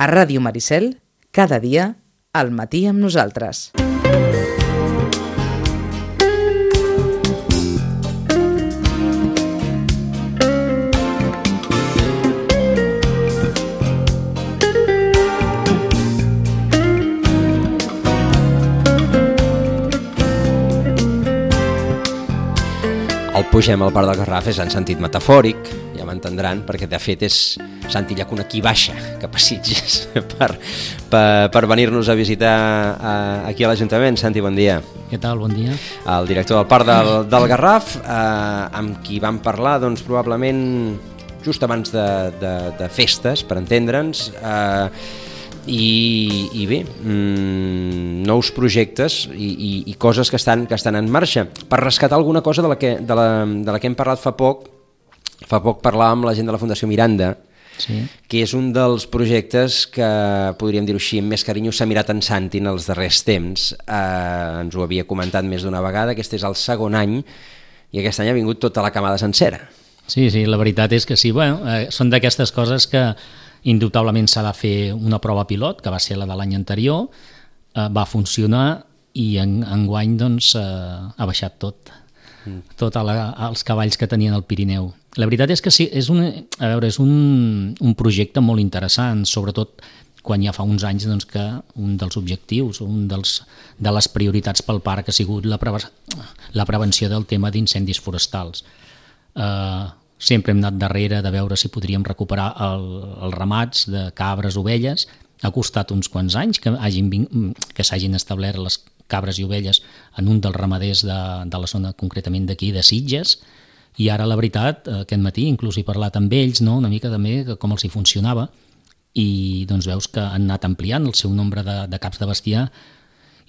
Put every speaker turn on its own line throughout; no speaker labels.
A Ràdio Maricel, cada dia, al matí amb nosaltres.
El pugem al Parc del Garraf és en sentit metafòric, ja m'entendran, perquè de fet és Santi Llacuna qui baixa cap a Sitges per venir-nos a visitar aquí a l'Ajuntament. Santi, bon dia.
Què tal? Bon dia. El
director del Parc del Garraf, amb qui vam parlar doncs, probablement just abans de festes, per entendre'ns, i bé, nous projectes i coses que estan en marxa. Per rescatar alguna cosa de la que hem parlat fa poc parlàvem amb la gent de la Fundació Miranda, sí, que és un dels projectes que, podríem dir-ho així, amb més carinyo s'ha mirat en Santi en els darrers temps. Ens ho havia comentat més d'una vegada, aquest és el segon any i aquest any ha vingut tota la camada sencera.
Sí, la veritat és que sí, són d'aquestes coses que indubtablement s'ha de fer una prova pilot, que va ser la de l'any anterior, va funcionar i enguany doncs, ha baixat tot els cavalls que tenien al Pirineu. La veritat és que sí, és un projecte molt interessant, sobretot quan ja fa uns anys doncs, que un dels objectius, de les prioritats pel parc ha sigut la prevenció del tema d'incendis forestals. Sempre hem anat darrere de veure si podríem recuperar els ramats de cabres, ovelles. Ha costat uns quants anys que s'hagin establert les cabres i ovelles en un dels ramaders de la zona concretament d'aquí, de Sitges, i ara la veritat, aquest matí inclús he parlat amb ells, no? Una mica també com els hi funcionava, i doncs veus que han anat ampliant el seu nombre de caps de bestiar,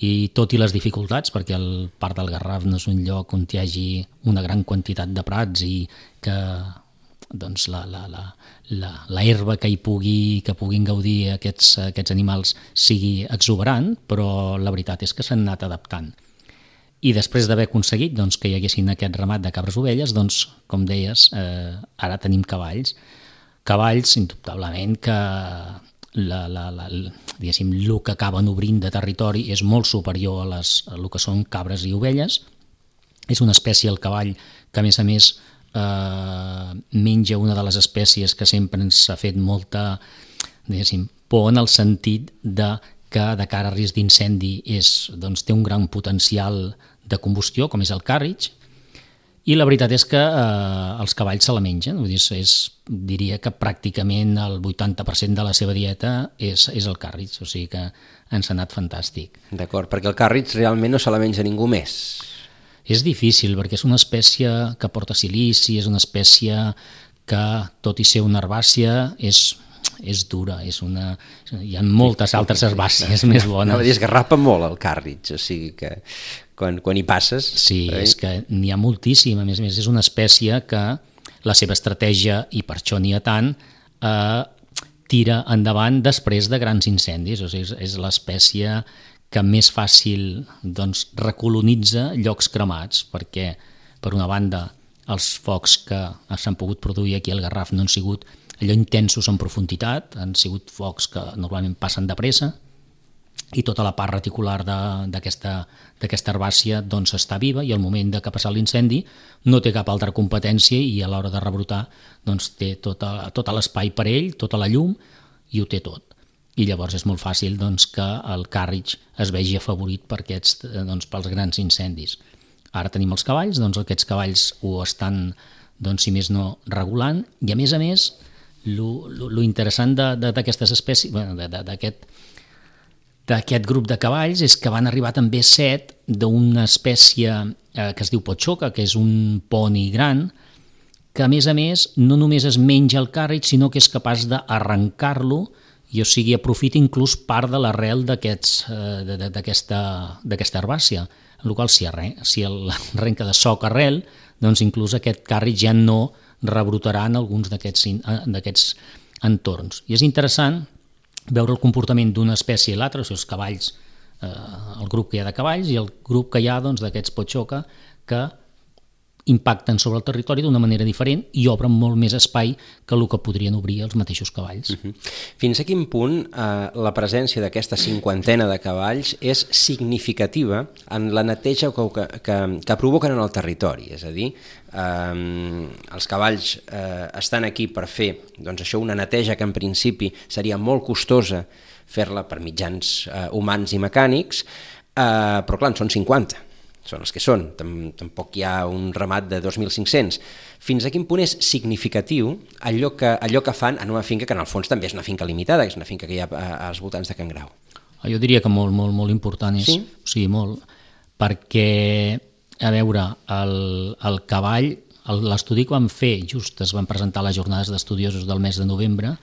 i tot i les dificultats, perquè el Parc del Garraf no és un lloc on hi hagi una gran quantitat de prats i que doncs, la herba que puguin gaudir aquests animals sigui exuberant, però la veritat és que s'han anat adaptant. I després d'haver aconseguit doncs, que hi haguessin aquest ramat de cabres ovelles, doncs, com deies, ara tenim cavalls. Cavalls, indubtablement, que diguéssim, el que acaben obrint de territori és molt superior a el que són cabres i ovelles. És una espècie, el cavall, que a més menja una de les espècies que sempre ens ha fet molta, diguéssim, por en el sentit que de cara a risc d'incendi doncs, té un gran potencial de combustió, com és el càrritx, i la veritat és que els cavalls se la mengen, vull dir, diria que pràcticament el 80% de la seva dieta és el càrritx, o sigui que ens ha anat fantàstic.
D'acord, perquè el càrritx realment no se la menja ningú més.
És difícil, perquè és una espècie que porta silici, és una espècie que, tot i ser una herbàcia, és dura, hi ha moltes altres herbàcies més bones.
No, esgarrapa molt el càrritx, o sigui que quan hi passes...
Sí, és que n'hi ha moltíssim, a més, és una espècie que la seva estratègia, i per això n'hi ha tant, tira endavant després de grans incendis, o sigui, és l'espècie que més fàcil doncs, recolonitza llocs cremats, perquè, per una banda, els focs que s'han pogut produir aquí al Garraf no han sigut allò intensos en profunditat, han sigut focs que normalment passen de pressa, i tota la part reticular d'aquesta herbàcia doncs, està viva, i al moment que ha passat l'incendi no té cap altra competència, i a l'hora de rebrotar doncs, té tot l'espai per ell, tota la llum, i ho té tot. I llavors és molt fàcil doncs, que el càrritx es vegi afavorit pels grans incendis. Ara tenim els cavalls, doncs aquests cavalls ho estan, doncs, si més no, regulant, i a més, lo interessant d'aquestes espècies, d'aquest grup de cavalls, és que van arribar també 7 d'una espècie que es diu Potxoca, que és un poni gran, que a més no només es menja el càrritx, sinó que és capaç d'arrencar-lo, i o sigui, aprofita inclús part de l'arrel d'aquesta herbàcia, en la qual si arrenca de soc arrel, doncs inclús aquest càrritx ja no rebrotarà en alguns d'aquests entorns. I és interessant veure el comportament d'una espècie i l'altra, o sigui, els cavalls, el grup que hi ha de cavalls i el grup que hi ha doncs, d'aquests Potxoca, que impacten sobre el territori d'una manera diferent i obren molt més espai que el que podrien obrir els mateixos cavalls.
Fins a quin punt la presència d'aquesta 50 de cavalls és significativa en la neteja que provoquen en el territori? És a dir, els cavalls estan aquí per fer una neteja que en principi seria molt costosa fer-la per mitjans humans i mecànics, però clar, en són 50. Són els que són, tampoc hi ha un ramat de 2.500. Fins a quin punt és significatiu allò que fan en una finca que en el fons també és una finca limitada, que és una finca que hi ha als voltants de Can Grau?
Jo diria que molt, molt, molt important és.
Sí?
Sí, molt. Perquè, a veure, el cavall, l'estudi que vam fer, just es van presentar les jornades d'estudiosos del mes de novembre,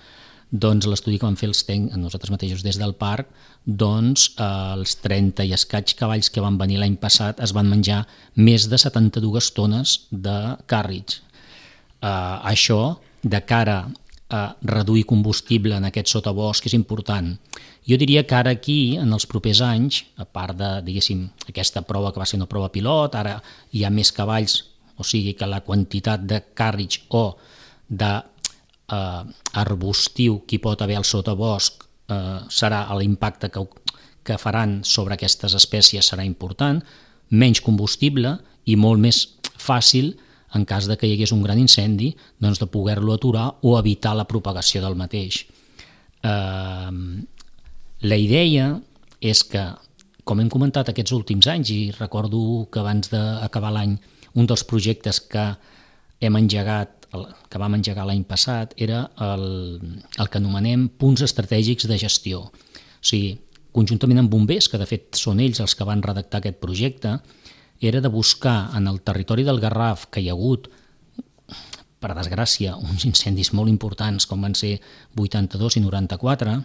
doncs l'estudi que van fer nosaltres mateixos des del parc, doncs els 30 i escaig cavalls que van venir l'any passat es van menjar més de 72 tones de càrrecs. Això, de cara a reduir combustible en aquest sotabosc, és important. Jo diria que ara aquí, en els propers anys, a part de, diguéssim, aquesta prova que va ser una prova pilot, ara hi ha més cavalls, o sigui que la quantitat de càrrecs o de arbustiu que hi pot haver al sotabosc serà l'impacte que faran sobre aquestes espècies serà important, menys combustible i molt més fàcil en cas de que hi hagués un gran incendi doncs de poder-lo aturar o evitar la propagació del mateix. La idea és que, com hem comentat aquests últims anys, i recordo que abans d'acabar l'any un dels projectes que vam engegar l'any passat era el que anomenem punts estratègics de gestió. O sigui, conjuntament amb bombers, que de fet són ells els que van redactar aquest projecte, era de buscar en el territori del Garraf, que hi ha hagut, per desgràcia, uns incendis molt importants com van ser 82 i 94,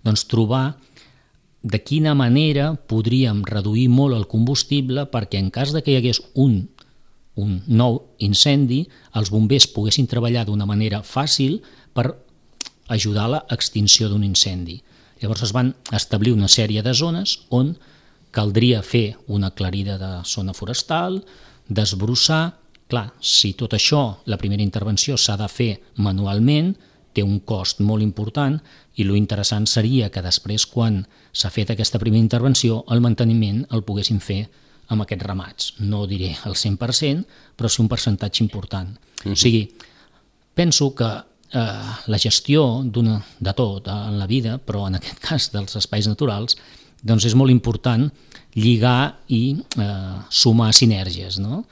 doncs trobar de quina manera podríem reduir molt el combustible perquè en cas de que hi hagués un nou incendi, els bombers poguessin treballar d'una manera fàcil per ajudar a l'extinció d'un incendi. Llavors es van establir una sèrie de zones on caldria fer una aclarida de zona forestal, desbrossar. Clar, si tot això, la primera intervenció s'ha de fer manualment, té un cost molt important i lo interessant seria que després, quan s'ha fet aquesta primera intervenció, el manteniment el poguessin fer amb aquests ramats. No diré el 100%, però sí un percentatge important. O sigui, penso que la gestió de tot en la vida, però en aquest cas dels espais naturals, doncs és molt important lligar i sumar sinergies, no?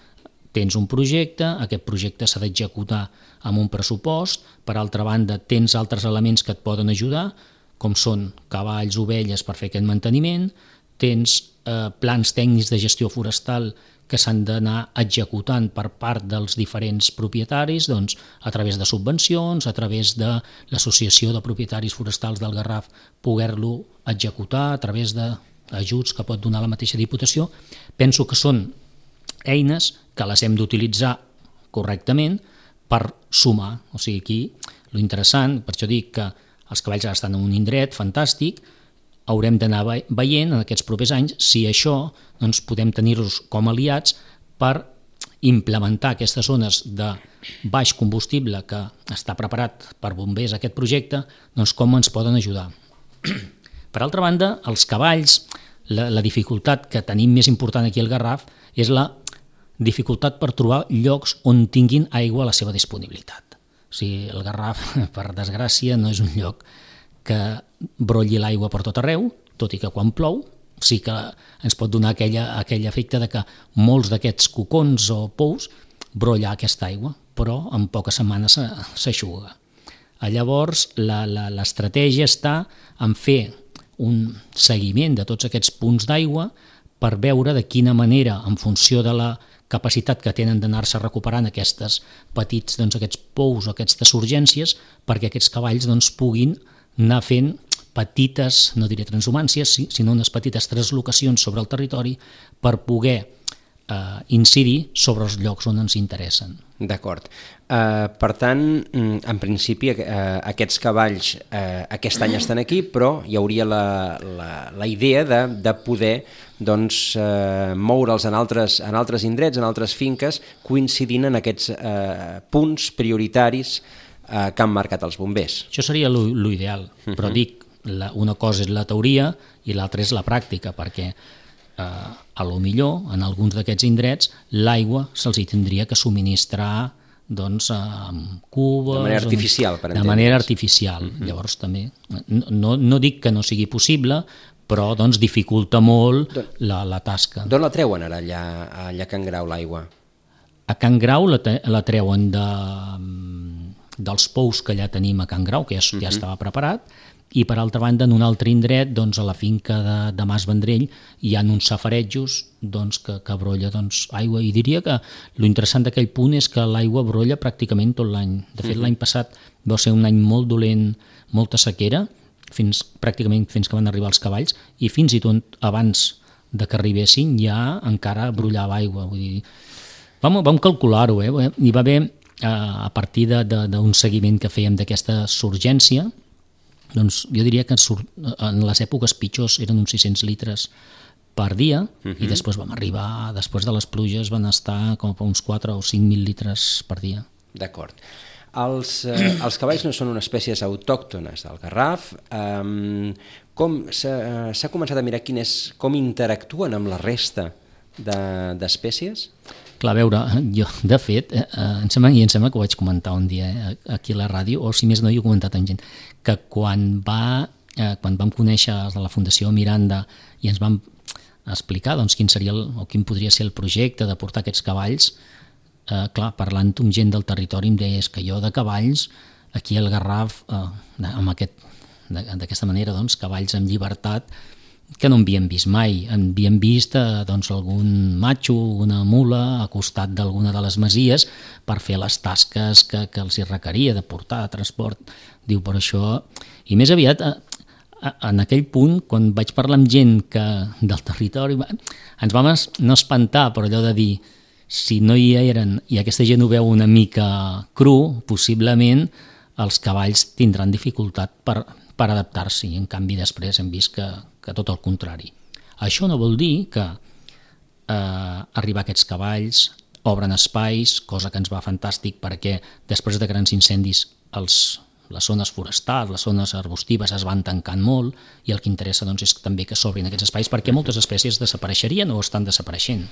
Tens un projecte, aquest projecte s'ha d'executar amb un pressupost, per altra banda tens altres elements que et poden ajudar, com són cavalls, ovelles per fer aquest manteniment, tens plans tècnics de gestió forestal que s'han d'anar executant per part dels diferents propietaris, doncs, a través de subvencions, a través de l'Associació de Propietaris Forestals del Garraf, poder-lo executar a través d'ajuts que pot donar la mateixa Diputació. Penso que són eines que les hem d'utilitzar correctament per sumar. O sigui, aquí, lo interessant, per això dic que els cavalls ara estan en un indret fantàstic, haurem d'anar veient en aquests propers anys si això doncs, podem tenir-los com aliats per implementar aquestes zones de baix combustible que està preparat per bombers aquest projecte, doncs com ens poden ajudar. Per altra banda, els cavalls, la dificultat que tenim més important aquí al Garraf és la dificultat per trobar llocs on tinguin aigua a la seva disponibilitat. O sigui, el Garraf, per desgràcia, no és un lloc que brolli l'aigua per tot arreu, tot i que quan plou sí que ens pot donar aquell efecte de que molts d'aquests cocons o pous brolla aquesta aigua, però en poques setmanes s'eixuga. Llavors, l'estratègia està en fer un seguiment de tots aquests punts d'aigua per veure de quina manera, en funció de la capacitat que tenen d'anar-se recuperant aquests petits, aquests pous o aquestes urgències, perquè aquests cavalls puguin anar fent petites, no diré transhumàncies, sinó unes petites translocacions sobre el territori per poder incidir sobre els llocs on ens interessen.
D'acord. Per tant, en principi, aquests cavalls aquest any estan aquí, però hi hauria la idea de poder moure'ls en altres indrets, en altres finques, coincidint en aquests punts prioritaris que han marcat els bombers.
Això seria l'ideal, però dic, una cosa és la teoria i l'altra és la pràctica, perquè a lo millor en alguns d'aquests indrets l'aigua se'ls hi tindria que subministrar amb cubes...
De manera artificial, per entendre's.
De manera artificial. Llavors també, no dic que no sigui possible, però dificulta molt la tasca.
D'on la treuen ara allà a Can Grau l'aigua?
A Can Grau la treuen dels pous que ja tenim a Can Grau, que ja estava preparat, i per altra banda en un altre indret, a la finca de Mas Vendrell, hi ha uns safarejos que brolla aigua, i diria que l'interessant d'aquell punt és que l'aigua brolla pràcticament tot l'any. De fet, l'any passat va ser un any molt dolent, molta sequera, pràcticament fins que van arribar els cavalls, i fins i tot abans de que arribessin ja encara brollava aigua. Vull dir, vam calcular-ho, hi va haver, a partir d'un seguiment que fèiem d'aquesta surgència, jo diria que en les èpoques pitjors eren uns 600 litres per dia, i després vam arribar, després de les pluges van estar com a uns 4 o 5.000 litres per dia.
D'acord. Els cavalls no són unes espècies autòctones del Garraf. S'ha començat a mirar com interactuen amb la resta d'espècies?
Clar, a veure, jo, de fet, em sembla que ho vaig comentar un dia aquí a la ràdio, o si més no, jo he comentat amb gent, que quan vam conèixer de la Fundació Miranda i ens vam explicar quin seria quin podria ser el projecte de portar aquests cavalls, clar, parlant amb gent del territori em deia que jo de cavalls, aquí al Garraf, d'aquesta manera, cavalls amb llibertat, que no havíem vist mai. Havíem vist algun matxo, una mula, al costat d'alguna de les masies per fer les tasques que els hi requeria de portar, de transport. Diu, per això... I més aviat, en aquell punt, quan vaig parlar amb gent del territori, ens vam no espantar, però allò de dir, si no hi eren i aquesta gent ho veu una mica cru, possiblement els cavalls tindran dificultat per adaptar-s'hi. En canvi, després hem vist que tot el contrari. Això no vol dir que arribar aquests cavalls obren espais, cosa que ens va fantàstic perquè després de grans incendis les zones forestals, les zones arbustives es van tancant molt i el que interessa és també que s'obrin aquests espais perquè moltes espècies desapareixerien o estan desapareixent.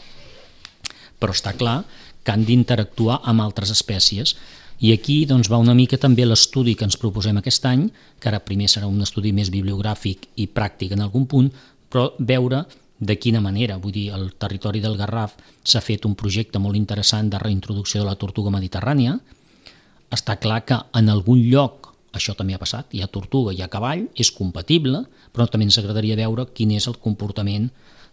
Però està clar que han d'interactuar amb altres espècies. I aquí va una mica també l'estudi que ens proposem aquest any, que ara primer serà un estudi més bibliogràfic i pràctic en algun punt, però veure de quina manera. Vull dir, al territori del Garraf s'ha fet un projecte molt interessant de reintroducció de la tortuga mediterrània. Està clar que en algun lloc, això també ha passat, hi ha tortuga, hi ha cavall, és compatible, però també ens agradaria veure quin és el comportament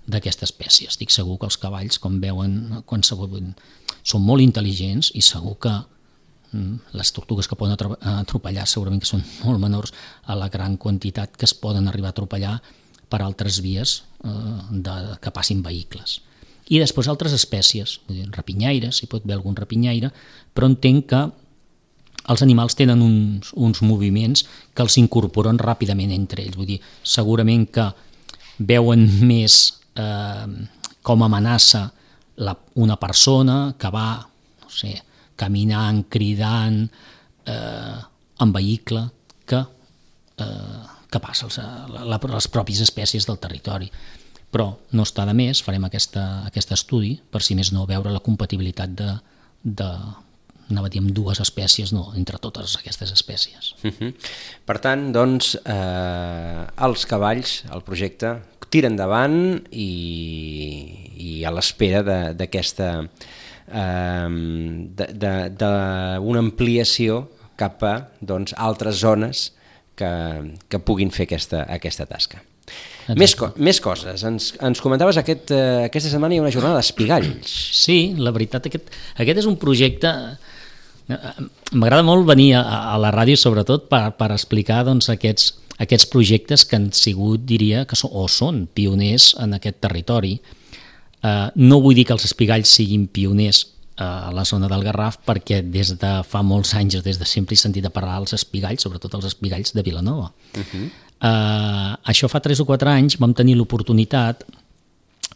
d'aquesta espècie. Estic segur que els cavalls, com veuen, són molt intel·ligents i segur que les tortugues que poden atropellar segurament que són molt menors a la gran quantitat que es poden arribar a atropellar per altres vies que passin vehicles. I després altres espècies, rapinyaires, hi pot haver algun rapinyaire, però entenc que els animals tenen uns moviments que els incorporen ràpidament entre ells. Vull dir, segurament que veuen més com amenaça una persona que va, no sé, caminant, cridant, en vehicle, que passa les pròpies espècies del territori. Però no està de més, farem aquest estudi, per si més no veure la compatibilitat anava a dir amb dues espècies, no, entre totes aquestes espècies.
Per tant, doncs, els cavalls, el projecte, tira endavant i a l'espera d'aquesta d'una ampliació cap a altres zones que puguin fer aquesta tasca. Més coses. Ens comentaves aquesta setmana hi ha una jornada d'espigalls.
Sí, la veritat, aquest és un projecte... M'agrada molt venir a la ràdio sobretot per explicar aquests projectes que han sigut, diria, que són pioners en aquest territori. No vull dir que els espigalls siguin pioners a la zona del Garraf, perquè des de fa molts anys, des de sempre he sentit a parlar dels espigalls, sobretot els espigalls de Vilanova. Això fa 3 o 4 anys vam tenir l'oportunitat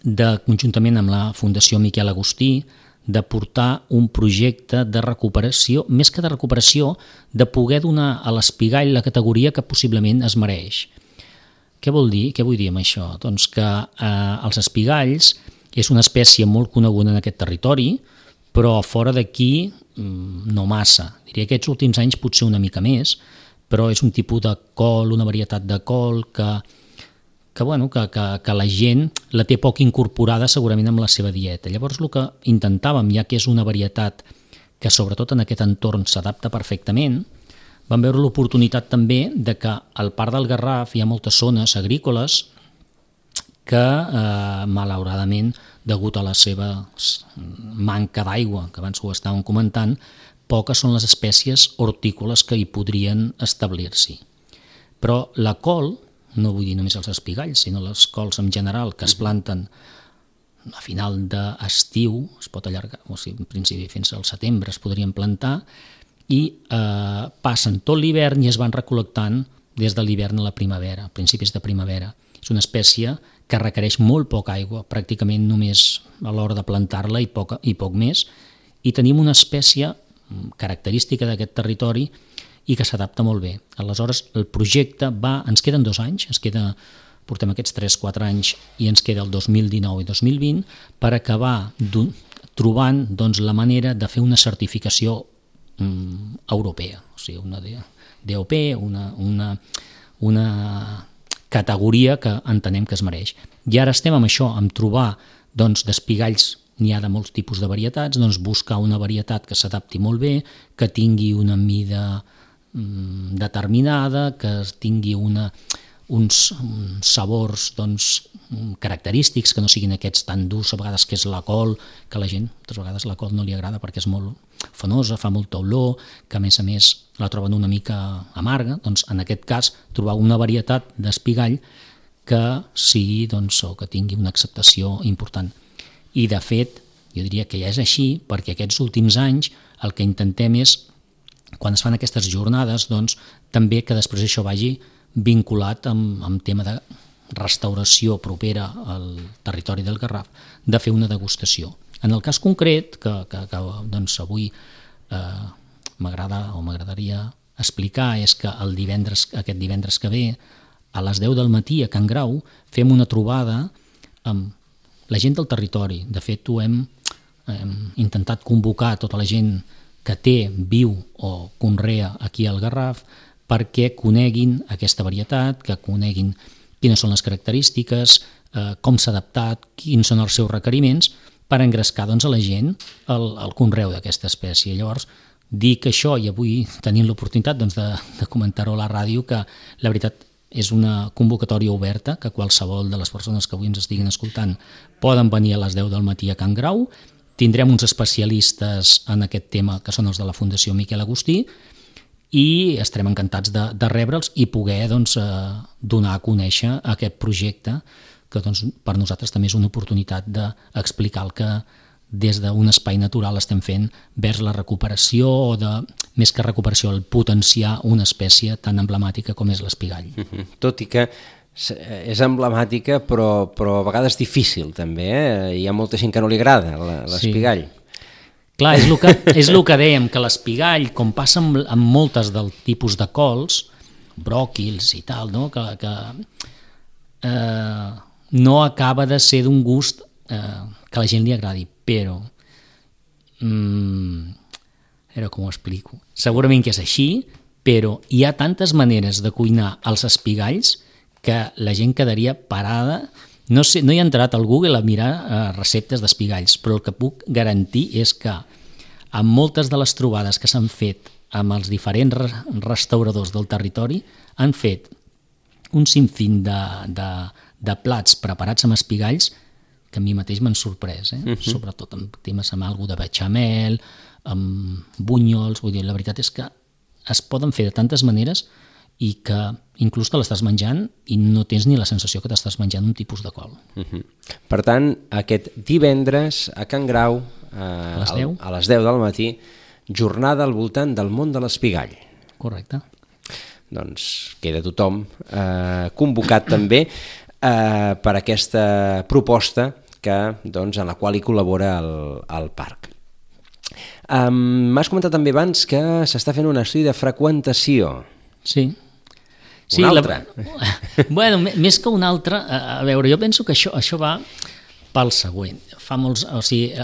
de, conjuntament amb la Fundació Miquel Agustí, de portar un projecte de recuperació, més que de recuperació, de poder donar a l'espigall la categoria que possiblement es mereix. Què vol dir? Què vull dir amb això? Doncs que els espigalls és una espècie molt coneguda en aquest territori, però fora d'aquí no massa. Diria que aquests últims anys potser una mica més, però és un tipus de col, una varietat de col que la gent la té poc incorporada segurament amb la seva dieta. Llavors el que intentàvem, ja que és una varietat que sobretot en aquest entorn s'adapta perfectament, vam veure l'oportunitat també de que al Parc del Garraf hi ha moltes zones agrícoles que malauradament, degut a la seva manca d'aigua, que abans ho estàvem comentant, poques són les espècies hortícoles que hi podrien establir-s'hi. Però la col, no vull dir només els espigalls, sinó les cols en general que es planten a final d'estiu, es pot allargar, o sigui, en principi fins al setembre es podrien plantar, i passen tot l'hivern i es van recol·lectant des de l'hivern a la primavera, a principis de primavera. És una espècie que requereix molt poca aigua, pràcticament només a l'hora de plantar-la i poc més, i tenim una espècie característica d'aquest territori i que s'adapta molt bé. Aleshores, el projecte ens queden 2 anys, portem aquests 3-4 anys i ens queda el 2019 i 2020 per acabar trobant la manera de fer una certificació europea, o sigui, una DOP, una categoria que entenem que es mereix. I ara estem amb això, amb trobar d'espigalls, n'hi ha de molts tipus de varietats, buscar una varietat que s'adapti molt bé, que tingui una mida determinada, que tingui uns sabors característics, que no siguin aquests tan durs, a vegades que és la col, que a la gent, moltes vegades la col no li agrada perquè és molt fanosa, fa molta olor, que a més la troben una mica amarga. Doncs en aquest cas trobar una varietat d'espigall que sigui o que tingui una acceptació important. I de fet, jo diria que ja és així, perquè aquests últims anys el que intentem és, quan es fan aquestes jornades, també que després això vagi vinculat amb tema de restauració propera al territori del Garraf, de fer una degustació. En el cas concret, que avui m'agradaria explicar, és que aquest divendres que ve, a les 10 del matí a Can Grau, fem una trobada amb la gent del territori. De fet, ho hem intentat convocar tota la gent que viu o conrea aquí al Garraf perquè coneguin aquesta varietat, que coneguin quines són les característiques, com s'ha adaptat, quins són els seus requeriments, per engrescar a la gent el conreu d'aquesta espècie. Llavors, dic això, i avui tenim l'oportunitat de comentar-ho a la ràdio, que la veritat és una convocatòria oberta, que qualsevol de les persones que avui ens estiguin escoltant poden venir a les 10 del matí a Can Grau. Tindrem uns especialistes en aquest tema, que són els de la Fundació Miquel Agustí, i estarem encantats de rebre'ls i poder donar a conèixer aquest projecte, que per nosaltres també és una oportunitat d'explicar el que des d'un espai natural estem fent vers la recuperació, o més que recuperació, el potenciar una espècie tan emblemàtica com és l'espigall.
Tot i que és emblemàtica, però a vegades difícil també, hi ha molta gent que no li agrada l'espigall.
Sí. Clar, és el que dèiem, que l'espigall, com passa amb moltes del tipus de cols, bròquils i tal, que no acaba de ser d'un gust que a la gent li agradi, però com ho explico? Segurament que és així, però hi ha tantes maneres de cuinar els espigalls que la gent quedaria parada. No he entrat al Google a mirar receptes d'espigalls, però el que puc garantir és que amb moltes de les trobades que s'han fet amb els diferents restauradors del territori han fet un sinfín de plats preparats amb espigalls que a mi mateix m'han sorprès, sobretot amb temes amb alguna de bechamel, amb bunyols. Vull dir, la veritat és que es poden fer de tantes maneres i que inclús te l'estàs menjant i no tens ni la sensació que t'estàs menjant un tipus de col.
Per tant, aquest divendres a Can Grau,
A les 10?
a les 10 del matí, jornada al voltant del món de l'espigall.
Correcte.
Doncs queda tothom convocat també per aquesta proposta en la qual hi col·labora el parc. M'has comentat també abans que s'està fent un estudi de freqüentació.
Sí.
Un altre.
Bueno, més que un altre, a veure, jo penso que això va pel següent.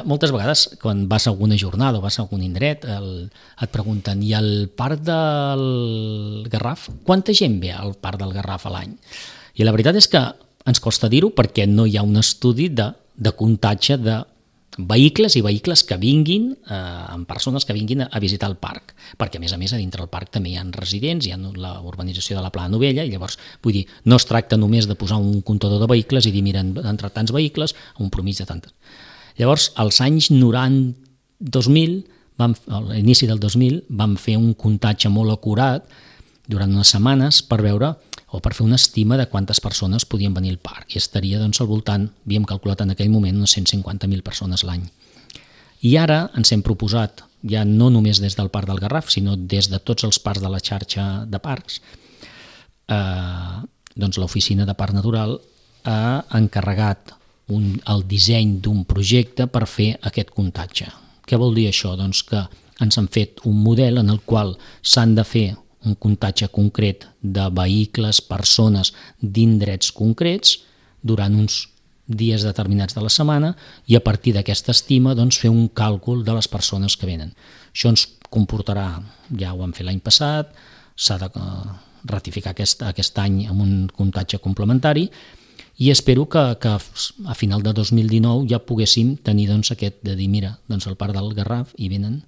Moltes vegades quan vas a alguna jornada o vas a algun indret et pregunten, i al parc del Garraf? Quanta gent ve al parc del Garraf a l'any? I la veritat és que ens costa dir-ho perquè no hi ha un estudi de comptatge de vehicles i vehicles que vinguin, amb persones que vinguin a visitar el parc, perquè a més a dintre del parc també hi ha residents, hi ha la urbanització de la Plana Novella, i llavors, vull dir, no es tracta només de posar un comptador de vehicles i dir, mira, entre tants vehicles, un promís de tantes. Llavors, als anys 2000, a l'inici del 2000, vam fer un comptatge molt acurat durant unes setmanes per veure o per fer una estima de quantes persones podien venir al parc, i estaria doncs, al voltant, havíem calculat en aquell moment, unes 150.000 persones l'any. I ara ens hem proposat, ja no només des del Parc del Garraf, sinó des de tots els parcs de la xarxa de parcs, doncs l'Oficina de Parc Natural ha encarregat el disseny d'un projecte per fer aquest comptatge. Què vol dir això? Doncs que ens han fet un model en el qual s'han de fer un comptatge concret de vehicles, persones d'indrets concrets durant uns dies determinats de la setmana, i a partir d'aquesta estima doncs, fer un càlcul de les persones que venen. Això ens comportarà, ja ho vam fer l'any passat, s'ha de ratificar aquest any amb un comptatge complementari, i espero que a final de 2019 ja poguéssim tenir doncs, aquest de dir, mira, doncs al Parc del Garraf hi venen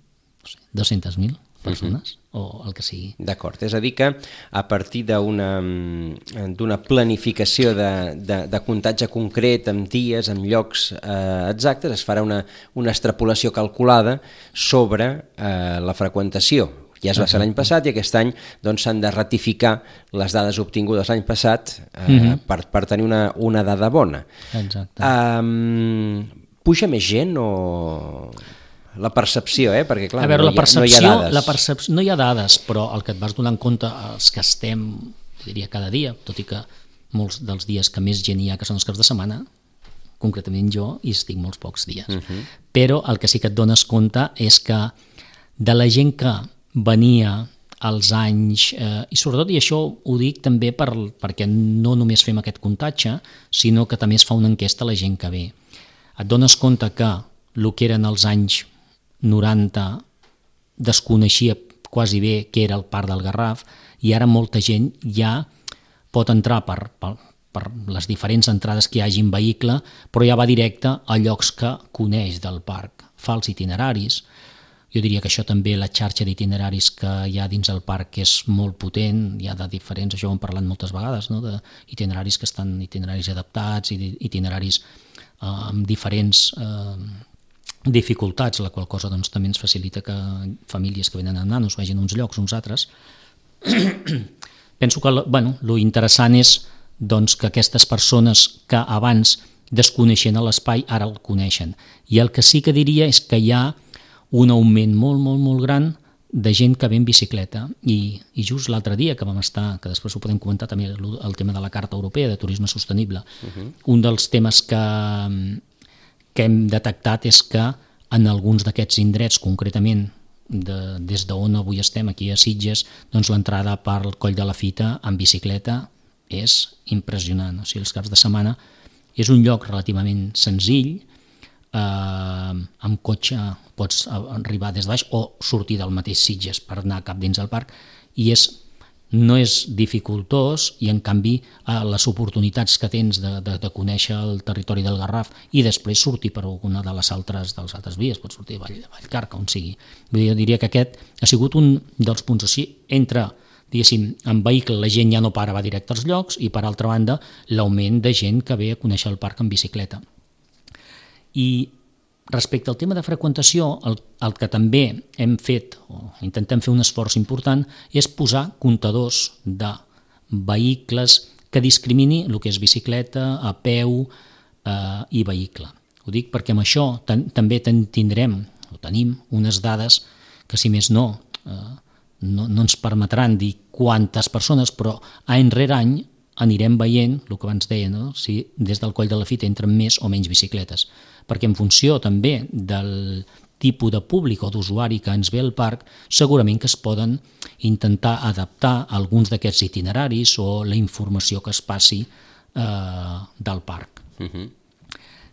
200.000 persones, o el que sigui.
D'acord, és a dir que a partir d'una planificació de comptatge concret, amb dies, amb llocs exactes, es farà una extrapolació calculada sobre la freqüentació. Ja es va fer l'any passat, i aquest any s'han de ratificar les dades obtingudes l'any passat per tenir una dada bona.
Exacte.
Puja més gent o... La percepció, perquè clar,
veure,
no hi ha dades.
No hi ha dades, però el que et vas donar en compte, els que estem, diria, cada dia, tot i que molts dels dies que més gent hi ha, que són els caps de setmana, concretament jo, hi estic molts pocs dies. Però el que sí que et dones compte és que de la gent que venia als anys, i sobretot, i això ho dic també perquè no només fem aquest comptatge, sinó que també es fa una enquesta a la gent que ve. Et dones compte que el que eren els anys 90 desconeixia quasi bé què era el Parc del Garraf, i ara molta gent ja pot entrar per les diferents entrades que hi hagi en vehicle, però ja va directe a llocs que coneix del parc, fa els itineraris. Jo diria que això també, la xarxa d'itineraris que hi ha dins el parc és molt potent, hi ha de diferents, això ho hem parlat moltes vegades, no? D'itineraris que estan itineraris adaptats, i itineraris amb diferents dificultats, la qual cosa doncs, també ens facilita que famílies que venen amb nanos vagin a uns llocs, uns altres. Penso que lo interessant és doncs, que aquestes persones que abans desconeixien l'espai ara el coneixen. I el que sí que diria és que hi ha un augment molt, molt, molt gran de gent que ve en bicicleta, i just l'altre dia que vam estar, que després ho podem comentar també, el tema de la Carta Europea de Turisme Sostenible, un dels temes que hem detectat és que en alguns d'aquests indrets, concretament des d'on avui estem, aquí a Sitges, doncs l'entrada per al Coll de la Fita en bicicleta és impressionant. O sigui, els caps de setmana és un lloc relativament senzill, amb cotxe pots arribar des de baix o sortir del mateix Sitges per anar cap dins del parc, i no és dificultós, i en canvi les oportunitats que tens de conèixer el territori del Garraf i després sortir per alguna de les altres vies, pots sortir a Vallcarca, on sigui. Jo diria que aquest ha sigut un dels punts així, entre, diguéssim, en vehicle la gent ja no va directe als llocs, i per altra banda l'augment de gent que ve a conèixer el parc en bicicleta. I Respecte al tema de freqüentació, el que també hem fet, o intentem fer un esforç important, és posar comptadors de vehicles que discrimini el que és bicicleta, a peu i vehicle. Ho dic perquè amb això també tenim unes dades que, si més no ens permetran dir quantes persones, però any rere any anirem veient el que abans deia, no? Si des del Coll de la Fita entren més o menys bicicletes, perquè en funció també del tipus de públic o d'usuari que ens ve al parc, segurament que es poden intentar adaptar alguns d'aquests itineraris o la informació que es passi del parc.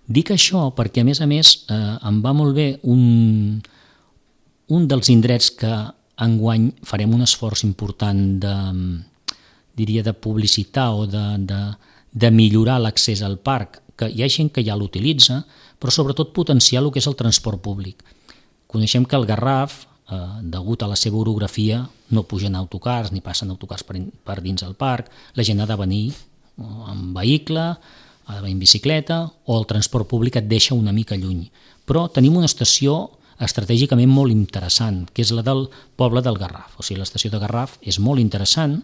Dic això perquè, a més, em va molt bé un dels indrets que enguany farem un esforç important de publicitar o de millorar l'accés al parc, que hi ha gent que ja l'utilitza, però sobretot potenciar el que és el transport públic. Coneixem que el Garraf, degut a la seva orografia, no pugen autocars ni passen autocars per dins del parc, la gent ha de venir en vehicle, ha de venir en bicicleta, o el transport públic et deixa una mica lluny. Però tenim una estació estratègicament molt interessant, que és la del poble del Garraf. O sigui, l'estació de Garraf és molt interessant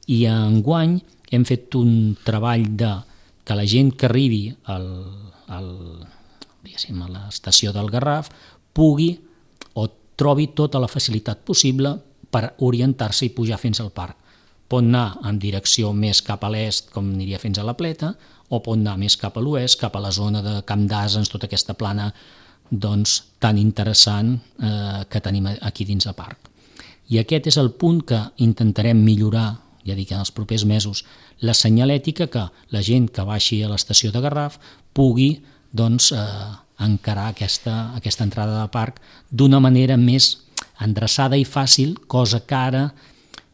i enguany hem fet un treball que la gent que arribi a l'estació del Garraf pugui o trobi tota la facilitat possible per orientar-se i pujar fins al parc. Pot anar en direcció més cap a l'est, com aniria fins a la Pleta, o pot anar més cap a l'oest, cap a la zona de Camp d'Asens, tota aquesta plana tan interessant que tenim aquí dins del parc. I aquest és el punt que intentarem millorar, ja dic, en els propers mesos, la senyalètica, que la gent que baixi a l'estació de Garraf pugui encarar aquesta entrada de parc d'una manera més endreçada i fàcil, cosa que ara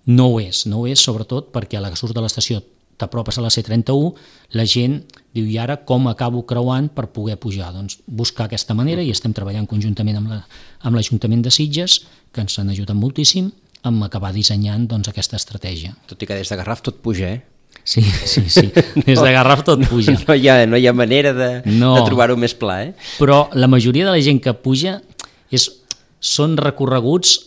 no ho és, sobretot perquè a la que surts de l'estació t'apropes a la C31, la gent diu, i ara com acabo creuant per poder pujar? Doncs buscar aquesta manera, i estem treballant conjuntament amb l'Ajuntament de Sitges, que ens han ajudat moltíssim, amb acabar dissenyant aquesta estratègia.
Tot i que des de Garraf tot puja, eh?
Sí, des de Garraf tot puja.
No hi ha manera de trobar-ho més pla, eh?
Però la majoria de la gent que puja són recorreguts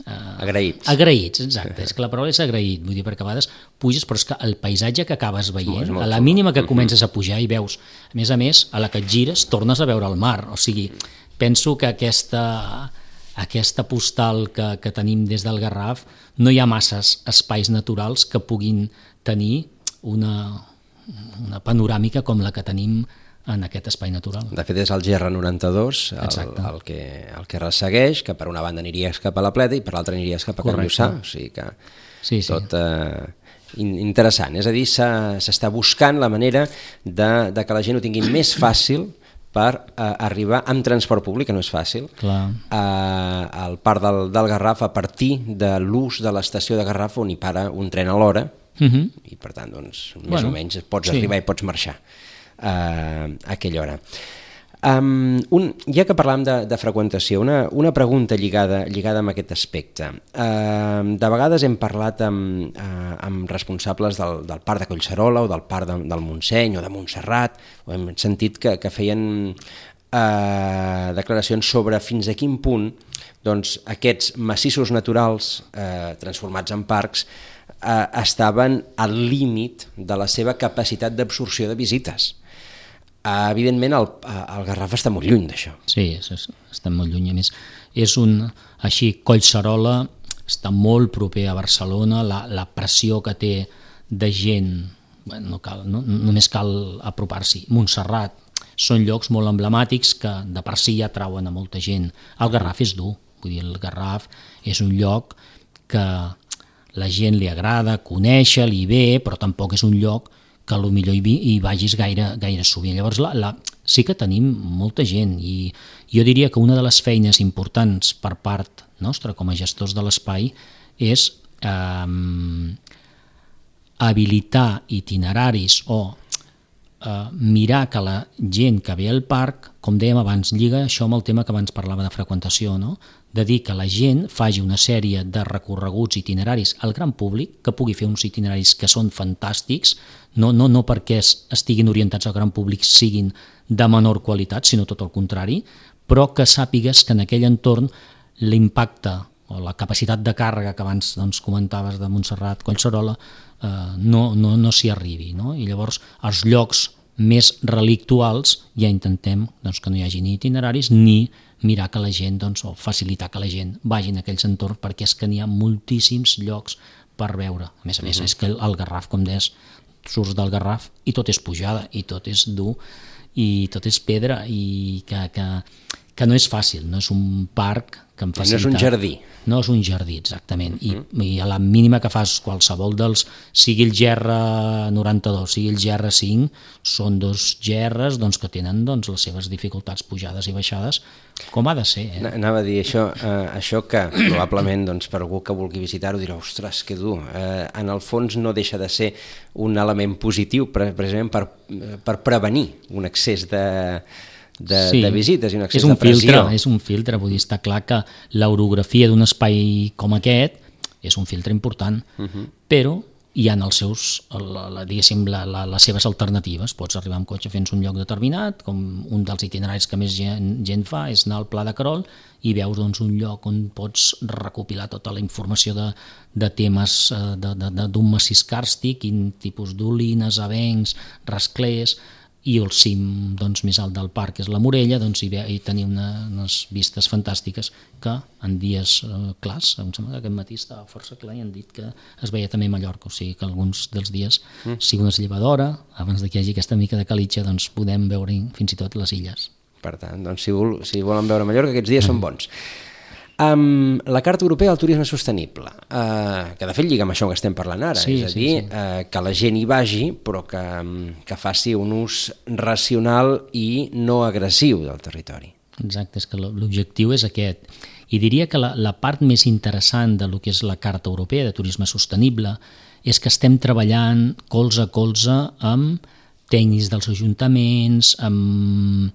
agraïts,
exacte, és que la paraula és agraït, vull dir, perquè a vegades puges, però és que el paisatge que acabes veient, a la mínima que comences a pujar i veus, a més, a la que et gires tornes a veure el mar, o sigui, penso que aquesta postal que tenim des del Garraf, no hi ha masses espais naturals que puguin tenir una panoràmica com la que tenim en aquest espai natural.
De fet, és el GR92 el que ressegueix, que per una banda aniries cap a la Pleta i per l'altra aniries cap a Can Lluçà, o sigui que tot interessant. És a dir, s'està buscant la manera de que la gent ho tingui més fàcil per arribar amb transport públic, que no és fàcil, al parc del Garraf a partir de l'ús de l'estació de Garraf, on hi para un tren a l'hora, i per tant, més o menys pots arribar i pots marxar a aquella hora. Ja que parlàvem de freqüentació, una pregunta lligada amb aquest aspecte. De vegades hem parlat amb responsables del Parc de Collserola o del Parc del Montseny o de Montserrat, o hem sentit que feien declaracions sobre fins a quin punt aquests massissos naturals transformats en parcs estaven al límit de la seva capacitat d'absorció de visites. Evidentment, el Garraf està molt lluny d'això.
Sí, està molt lluny. A més, Collserola està molt proper a Barcelona, la pressió que té de gent, només cal apropar-s'hi. Montserrat, són llocs molt emblemàtics que de per si ja trauen a molta gent. El Garraf és dur, vull dir, el Garraf és un lloc que la gent li agrada, conèixer, li ve, però tampoc és un lloc que potser hi vagis gaire sovint. Llavors sí que tenim molta gent, i jo diria que una de les feines importants per part nostra com a gestors de l'espai és habilitar itineraris o mirar que la gent que ve al parc, com dèiem abans, lliga això amb el tema que abans parlava de freqüentació, no? De dir que la gent faci una sèrie de recorreguts itineraris al gran públic, que pugui fer uns itineraris que són fantàstics, no perquè estiguin orientats al gran públic siguin de menor qualitat, sinó tot el contrari, però que sàpigues que en aquell entorn l'impacte o la capacitat de càrrega que abans comentaves de Montserrat Collserola no s'hi arribi, no? I llavors els llocs més relictuals ja intentem que no hi hagi ni itineraris ni mirar que la gent, o facilitar que la gent vagi en aquells entorns, perquè és que n'hi ha moltíssims llocs per veure. A més, és que el Garraf, com deies, surts del Garraf i tot és pujada, i tot és dur, i tot és pedra, i que no és fàcil, no és un parc que em facilita.
No és un jardí.
No és un jardí, exactament. I a la mínima que fas qualsevol dels, sigui el GR92, sigui el GR5, són dos GRs que tenen les seves dificultats pujades i baixades, com ha de ser.
Anava a dir això que probablement per algú que vulgui visitar-ho dirà, ostres, que dur. En el fons no deixa de ser un element positiu precisament per prevenir un excés de visites i un excés de pressió.
És un filtre, vull dir, està clar que l'orografia d'un espai com aquest és un filtre important, però hi ha els seus, diguéssim, les seves alternatives. Pots arribar amb cotxe fins a un lloc determinat, com un dels itineraris que més gent fa és anar al Pla de Querol i veus un lloc on pots recopilar tota la informació de temes d'un massís càrstic, quin tipus d'olines, avencs, rasclers, i el cim més alt del parc és la Morella, i tenir unes vistes fantàstiques que en dies clars, em sembla que aquest matí estava força clar i han dit que es veia també a Mallorca, o sigui que alguns dels dies, sigui una llevadora, abans que hi hagi aquesta mica de calitja, podem veure fins i tot les illes.
Per tant, si volen veure Mallorca, aquests dies són bons. La Carta Europea del Turisme Sostenible, que de fet lliga amb això que estem parlant ara, és a dir, que la gent hi vagi però que faci un ús racional i no agressiu del territori.
Exacte, és que l'objectiu és aquest. I diria que la part més interessant del que és la Carta Europea de Turisme Sostenible és que estem treballant colze a colze amb tècnics dels ajuntaments, amb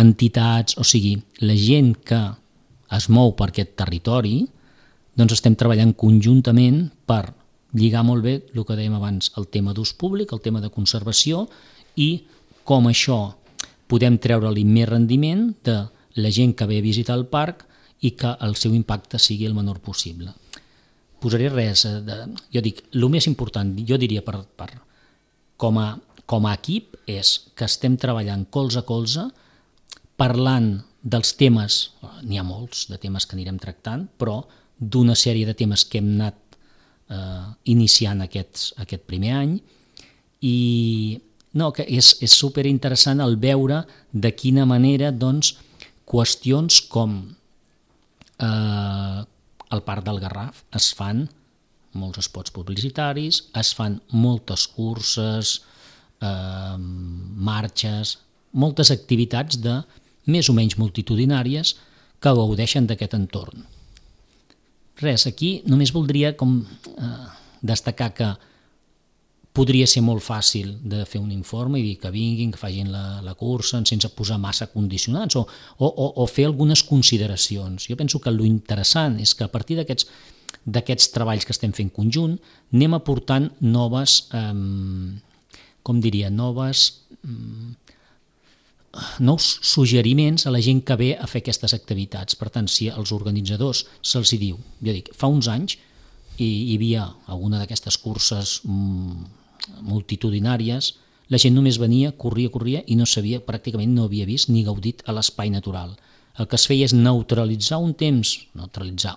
entitats, o sigui, la gent que es mou per aquest territori, estem treballant conjuntament per lligar molt bé el que dèiem abans, el tema d'ús públic, el tema de conservació i com això podem treure-li més rendiment de la gent que ve a visitar el parc i que el seu impacte sigui el menor possible. Posaré res, jo dic, el més important, jo diria com a equip és que estem treballant colze a colze, parlant dels temes, n'hi ha molts de temes que anirem tractant, però d'una sèrie de temes que hem anat iniciant aquest primer any, i que és superinteressant el veure de quina manera qüestions com el Parc del Garraf es fan molts spots publicitaris, es fan moltes curses, marxes, moltes activitats més o menys multitudinàries que gaudeixen d'aquest entorn. Res, aquí només voldria destacar que podria ser molt fàcil de fer un informe i dir que vinguin, que facin la cursa sense posar massa condicionants o fer algunes consideracions. Jo penso que l'interessant és que a partir d'aquests treballs que estem fent conjunt anem aportant nous suggeriments a la gent que ve a fer aquestes activitats. Per tant, si als organitzadors se'ls diu, jo dic, fa uns anys hi havia alguna d'aquestes curses multitudinàries, la gent només venia, corria i no sabia, pràcticament no havia vist ni gaudit a l'espai natural. El que es feia és neutralitzar un temps,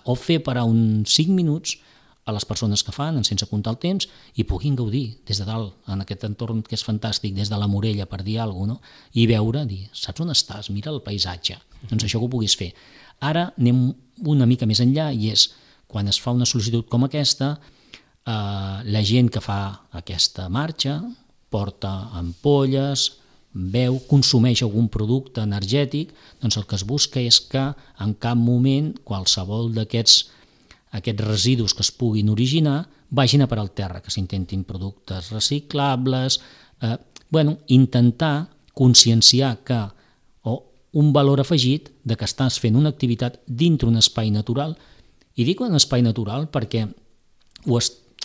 o fer parar uns 5 minuts a les persones que fan, sense comptar el temps, i puguin gaudir des de dalt, en aquest entorn que és fantàstic, des de la Morella, per dir alguna cosa, i veure, dir, saps on estàs? Mira el paisatge. Doncs això que ho puguis fer. Ara anem una mica més enllà, i és, quan es fa una sol·licitud com aquesta, la gent que fa aquesta marxa porta ampolles, beu, consumeix algun producte energètic, doncs el que es busca és que en cap moment qualsevol d'aquests residus que es puguin originar vagin a parar al terra, que s'intentin productes reciclables, intentar conscienciar que un valor afegit de que estàs fent una activitat dintre un espai natural, i dic un espai natural perquè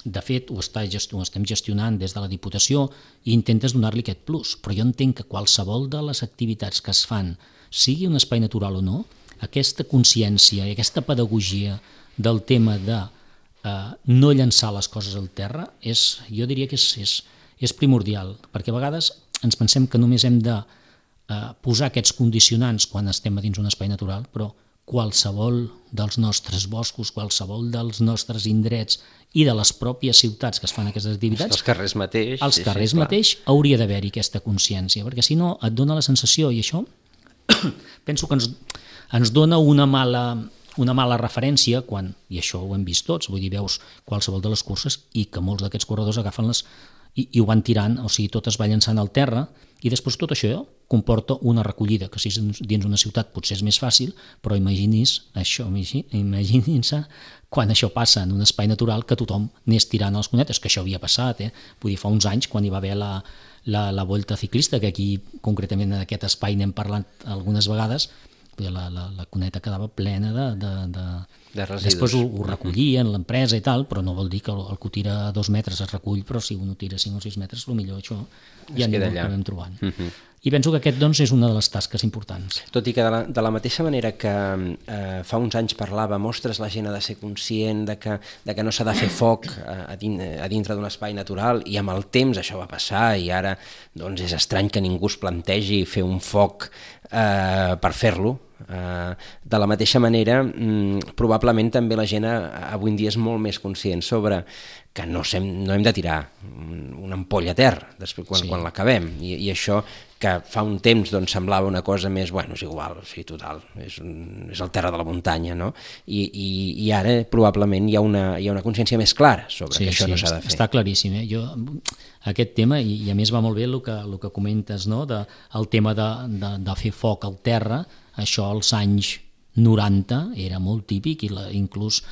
de fet ho estem gestionant des de la Diputació i intentes donar-li aquest plus, però jo entenc que qualsevol de les activitats que es fan, sigui un espai natural o no, aquesta consciència i aquesta pedagogia del tema de no llançar les coses al terra, jo diria que és primordial, perquè a vegades ens pensem que només hem de posar aquests condicionants quan estem dins un espai natural, però qualsevol dels nostres boscos, qualsevol dels nostres indrets i de les pròpies ciutats que es fan aquestes activitats,
els carrers mateix,
hauria d'haver-hi aquesta consciència, perquè si no et dona la sensació, i això penso que ens dona una mala referència quan, i això ho hem vist tots, vull dir, veus qualsevol de les curses i que molts d'aquests corredors agafen-les i ho van tirant, o sigui, tot es va llançant al terra i després tot això comporta una recollida, que si dins una ciutat potser és més fàcil, però imaginin-se quan això passa en un espai natural que tothom anés tirant a les cunetes, que això havia passat, vull dir, fa uns anys quan hi va haver la Volta Ciclista, que aquí concretament en aquest espai n'hem parlat algunes vegades, la cuneta quedava plena
de residus.
Després ho recollien l'empresa i tal, però no vol dir que el que ho tira a 2 metres es recull, però si un ho tira 5 o 6 metres, potser això ja no ho acabem trobant. I penso que aquest doncs, és una de les tasques importants.
Tot i que de la mateixa manera que fa uns anys parlàvem, ostres, la gent ha de ser conscient de que no s'ha de fer foc a dintre d'un espai natural, i amb el temps això va passar i ara doncs, és estrany que ningú es plantegi fer un foc per fer-lo. De la mateixa manera, probablement també la gent avui en dia és molt més conscient sobre que no hem de tirar una ampolla a terra quan l'acabem, i això que fa un temps doncs, semblava una cosa més, és igual, o sigui, total, és el terra de la muntanya, no? I ara probablement hi ha una consciència més clara sobre que això no s'ha de fer.
Està claríssim, aquest tema, i a més va molt bé el que comentes, no? El tema de fer foc al terra, això als anys 90 era molt típic, i inclús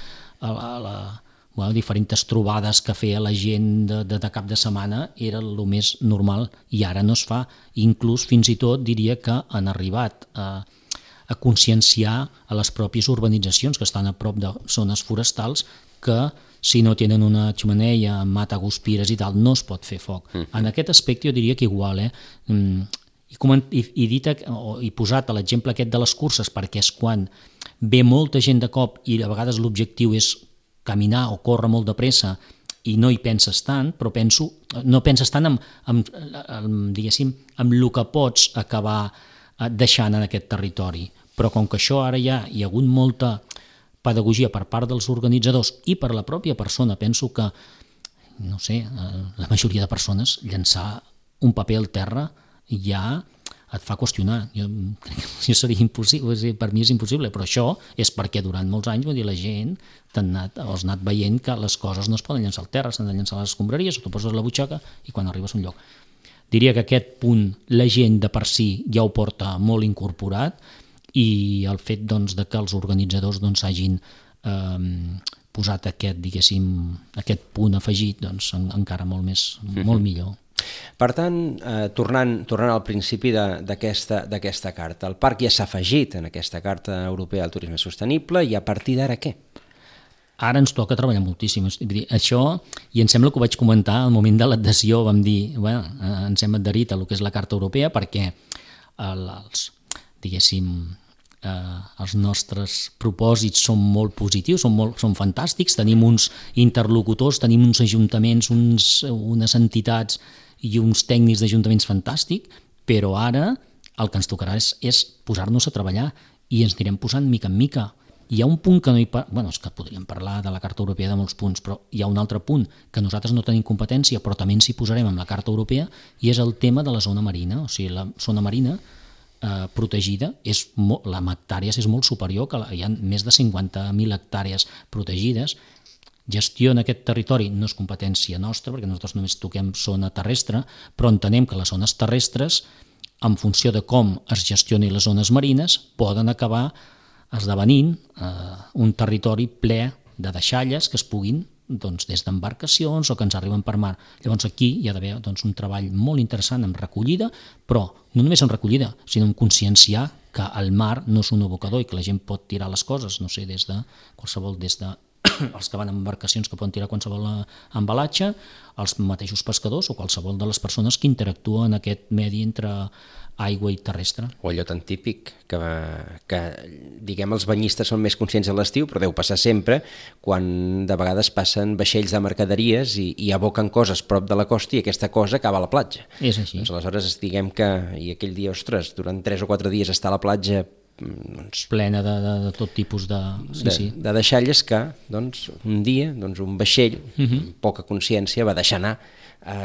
diferents trobades que feia la gent de cap de setmana era el més normal, i ara no es fa. Inclús fins i tot diria que han arribat a conscienciar a les pròpies urbanitzacions que estan a prop de zones forestals que si no tenen una xemeneia, mata-guspires i tal, no es pot fer foc. En aquest aspecte jo diria que igual, i posat l'exemple aquest de les curses, perquè és quan ve molta gent de cop i a vegades l'objectiu és caminar o córrer molt de pressa i no hi penses tant, però no penses tant diguéssim, amb el que pots acabar deixant en aquest territori. Però com que això ara hi ha hagut molta pedagogia per part dels organitzadors i per la pròpia persona, penso que, no sé, la majoria de persones llançar un paper al terra ja et fa qüestionar. Jo crec que seria impossible, per mi és impossible, però això és perquè durant molts anys la gent has anat veient que les coses no es poden llançar al terra, s'han de llançar a les escombraries, o t'ho poses a la butxaca i quan arribes a un lloc. Diria que aquest punt la gent de per si ja ho porta molt incorporat, i el fet doncs, de que els organitzadors doncs, hagin posat aquest punt afegit doncs, encara molt millor.
Per tant, tornant al principi d'aquesta carta, el parc ja s'ha afegit en aquesta Carta Europea del Turisme Sostenible, i a partir d'ara què?
Ara ens toca treballar moltíssim. Això, i em sembla que ho vaig comentar al moment de l'adhesió, vam dir, ens hem adherit a el que és la Carta Europea perquè els nostres propòsits són molt positius, són fantàstics, tenim uns interlocutors, tenim uns ajuntaments, unes entitats i uns tècnics d'ajuntaments fantàstics, però ara el que ens tocarà és posar-nos a treballar, i ens anirem posant mica en mica. Hi ha un punt que no és que podríem parlar de la Carta Europea de molts punts, però hi ha un altre punt que nosaltres no tenim competència, però també ens hi posarem amb la Carta Europea, i és el tema de la zona marina. O sigui, la zona marina protegida, la hectàrees és molt superior, que hi ha més de 50.000 hectàrees protegides. Gestiona aquest territori no és competència nostra, perquè nosaltres només toquem zona terrestre, però entenem que les zones terrestres, en funció de com es gestionen les zones marines, poden acabar esdevenint un territori ple de deixalles que es puguin doncs, des d'embarcacions o que ens arriben per mar. Llavors aquí hi ha d'haver doncs, un treball molt interessant amb recollida, però no només amb recollida, sinó amb conscienciar que el mar no és un abocador i que la gent pot tirar les coses, no sé, des de qualsevol, des de els que van amb embarcacions que poden tirar qualsevol embalatge, els mateixos pescadors o qualsevol de les persones que interactuen en aquest medi entre aigua i terrestre.
O allò tan típic que diguem, els banyistes són més conscients a l'estiu, però deu passar sempre quan de vegades passen vaixells de mercaderies i aboquen coses prop de la costa i aquesta cosa acaba a la platja.
És així.
Doncs aleshores diguem que, i aquell dia, ostres, durant 3 o 4 dies està a la platja doncs,
plena de tot tipus de
deixalles que doncs, un dia un vaixell amb poca consciència va deixar anar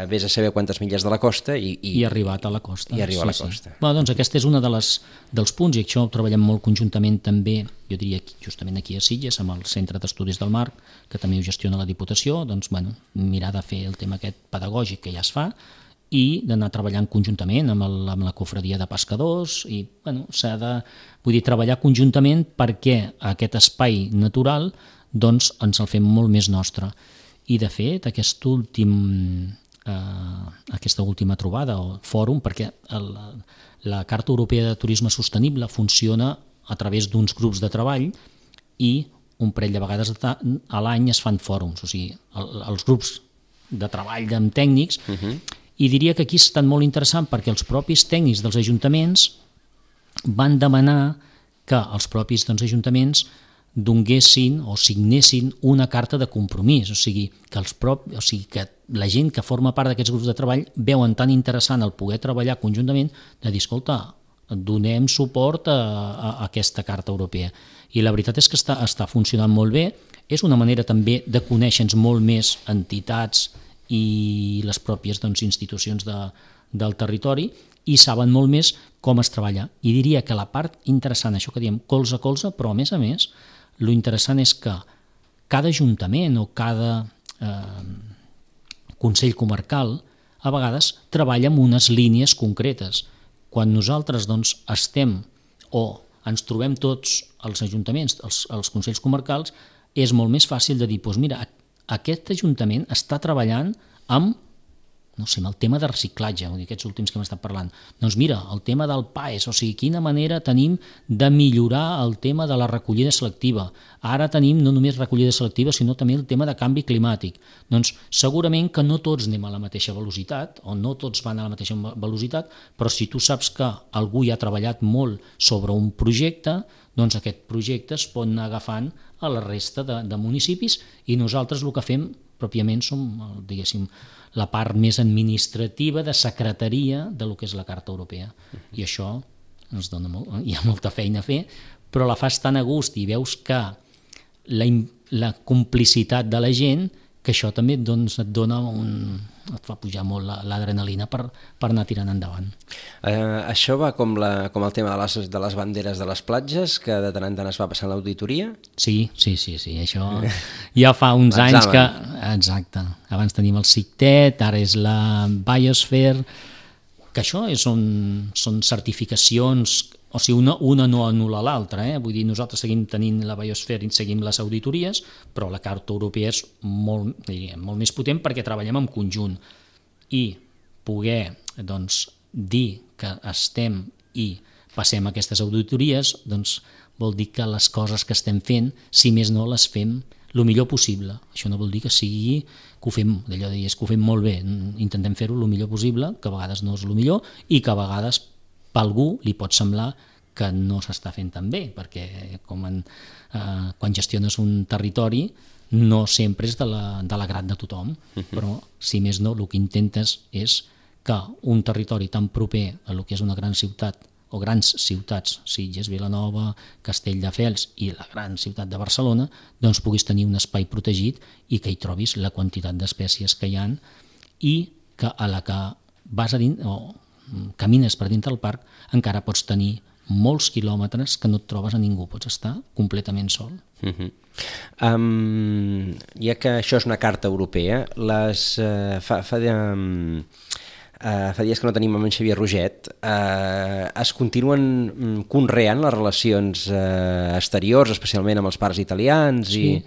vés a saber quantes milles de la costa i
ha arribat a la costa.
I arriba a la costa.
Bueno, doncs aquest és un dels punts, i això ho treballem molt conjuntament també, jo diria justament aquí a Sitges, amb el Centre d'Estudis del Mar, que també ho gestiona la Diputació, doncs bueno, mirar de fer el tema aquest pedagògic que ja es fa, i d'anar treballant conjuntament amb la cofradia de pescadors i bueno, s'ha de treballar conjuntament perquè aquest espai natural doncs, ens el fem molt més nostre. I de fet aquesta última trobada o fòrum, perquè la Carta Europea de Turisme Sostenible funciona a través d'uns grups de treball i un parell de vegades a l'any es fan fòrums, o sigui, els grups de treball amb tècnics. I diria que aquí ha estat molt interessant perquè els propis tècnics dels ajuntaments van demanar que els propis ajuntaments donguessin o signessin una carta de compromís, o sigui que la gent que forma part d'aquests grups de treball veuen tan interessant el poder treballar conjuntament de dir, escolta, donem suport a aquesta Carta Europea. I la veritat és que està funcionant molt bé, és una manera també de conèixer-nos molt més entitats i les pròpies institucions del territori i saben molt més com es treballa. I diria que la part interessant, això que diem colze a colze, però a més, lo interessant és que cada ajuntament o cada consell comarcal a vegades treballa amb unes línies concretes. Quan nosaltres estem o ens trobem tots els ajuntaments, els consells comarcals, és molt més fàcil de dir, doncs mira, aquest ajuntament està treballant amb, no sé, amb el tema de reciclatge, aquests últims que hem estat parlant. Doncs mira, el tema del PAES, o sigui, quina manera tenim de millorar el tema de la recollida selectiva. Ara tenim no només recollida selectiva, sinó també el tema de canvi climàtic. Doncs segurament que no tots anem a la mateixa velocitat, o no tots van a la mateixa velocitat, però si tu saps que algú hi ha treballat molt sobre un projecte, doncs aquest projecte es pot anar agafant a la resta de municipis i nosaltres el que fem pròpiament som, diguéssim, la part més administrativa de secretaria de lo que és la Carta Europea. I això ens dona hi ha molta feina a fer, però la fas tan a gust i veus que la complicitat de la gent, que això també et dona et fa pujar molt l'adrenalina per anar tirant endavant.
Això va com el tema de les banderes de les platges, que de tant en tant es va passar a l'auditoria?
Sí, això ja fa uns anys que... Exacte, abans tenim el CICTET, ara és la Biosphere, que això són certificacions, o sigui, una no anul·la l'altra, vull dir, nosaltres seguim tenint la Biosphere i seguim les auditories, però la Carta Europea és molt més potent perquè treballem en conjunt i poder dir que estem i passem aquestes auditories vol dir que les coses que estem fent, si més no, les fem el millor possible. Això no vol dir que sigui que ho fem, d'allò de dir, que ho fem molt bé, intentem fer-ho el millor possible, que a vegades no és el millor i que a vegades per algú li pot semblar que no s'està fent tan bé, perquè quan gestiones un territori no sempre és de l'agrat de tothom, però si més no, el que intentes és que un territori tan proper a el que és una gran ciutat o grans ciutats, Sitges, Vilanova, Castelldefels i la gran ciutat de Barcelona, doncs puguis tenir un espai protegit i que hi trobis la quantitat d'espècies que hi ha i que a la que vas a dins o camines per dintre del parc encara pots tenir molts quilòmetres que no et trobes a ningú, pots estar completament sol.
Ja que això és una carta europea, fa dies que no tenim amb en Xavier Roget, es continuen conreant les relacions exteriors, especialment amb els parcs italians?
Sí.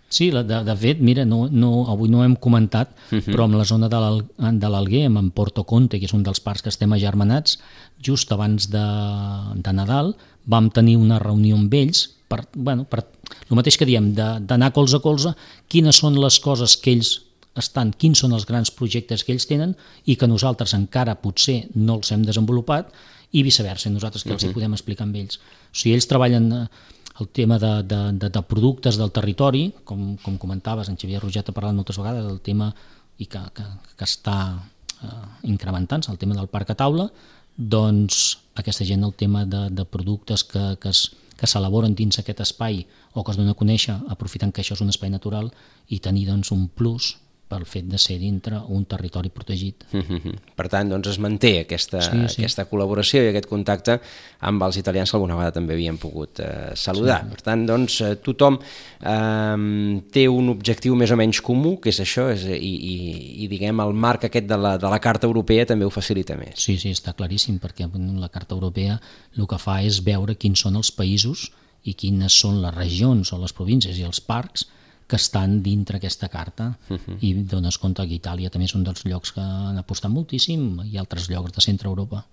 Sí, de fet, mira, avui no ho hem comentat, però en la zona de l'Alguer, en Porto Conte, que és un dels parcs que estem agermanats, just abans de Nadal vam tenir una reunió amb ells per el mateix que diem, d'anar colze a colze, quines són les coses que ells quins són els grans projectes que ells tenen i que nosaltres encara potser no els hem desenvolupat i viceversa, nosaltres que els hi podem explicar amb ells. O sigui, ells treballen el tema de productes del territori, com comentaves, en Xavier Roget ha parlat moltes vegades del tema i que està incrementant-se, el tema del parc a taula, doncs aquesta gent el tema de productes que s'elaboren dins aquest espai o que es donen a conèixer aprofitant que això és un espai natural i tenir doncs, un plus pel fet de ser dintre un territori protegit.
Per tant, doncs es manté aquesta col·laboració i aquest contacte amb els italians que alguna vegada també havíem pogut saludar. Per tant, doncs, tothom té un objectiu més o menys comú, que és això, i diguem, el marc aquest de la Carta Europea també ho facilita més.
Sí, està claríssim, perquè la Carta Europea el que fa és veure quins són els països i quines són les regions o les províncies i els parcs que estan dintre aquesta carta i dones compte que Itàlia també és un dels llocs que han apostat moltíssim i altres llocs de centre Europa.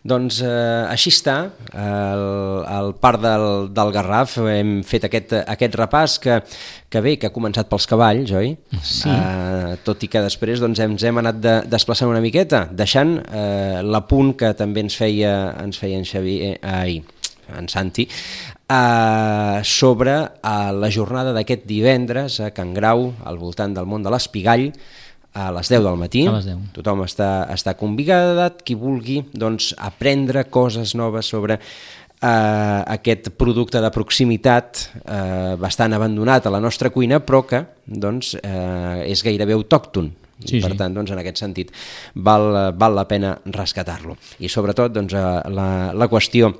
Doncs així està, al Parc del Garraf hem fet aquest repàs que bé, que ha començat pels cavalls, oi?
Sí.
Tot i que després doncs, ens hem anat desplaçant una miqueta, deixant l'apunt que també ens feia en Xavier, en Santi, sobre la jornada d'aquest divendres a Can Grau, al voltant del món de l'Espigall, a les 10 del matí.
A les 10.
Tothom està convidat, qui vulgui doncs, aprendre coses noves sobre aquest producte de proximitat bastant abandonat a la nostra cuina, però que doncs, és gairebé autòcton.
Sí,
per tant, doncs, en aquest sentit, val la pena rescatar-lo. I sobretot doncs, la qüestió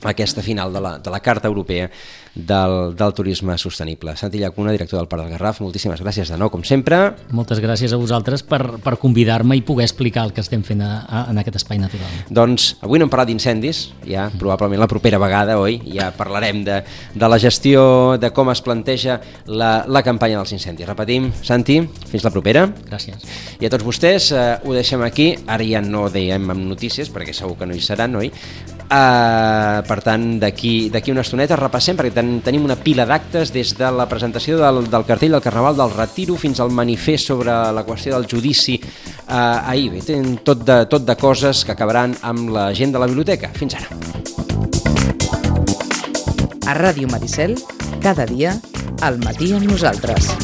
aquesta final de la Carta Europea del Turisme Sostenible. Santi Llacuna, director del Parc del Garraf, moltíssimes gràcies de nou, com sempre.
Moltes gràcies a vosaltres per convidar-me i poder explicar el que estem fent en aquest espai natural.
Doncs avui no hem parlat d'incendis, ja probablement la propera vegada, oi? Ja parlarem de la gestió, de com es planteja la campanya dels incendis. Repetim, Santi, fins la propera.
Gràcies.
I a tots vostès ho deixem aquí, ara ja no dèiem amb notícies, perquè segur que no hi seran, oi? Per tant, d'aquí una estoneta repassem, perquè tenim una pila d'actes des de la presentació del cartell del Carnaval del Retiro fins al manifest sobre la qüestió del judici ahir. Bé, tenen tot de coses que acabaran amb la gent de la biblioteca. Fins ara.
A Ràdio Maricel, cada dia, al matí amb nosaltres.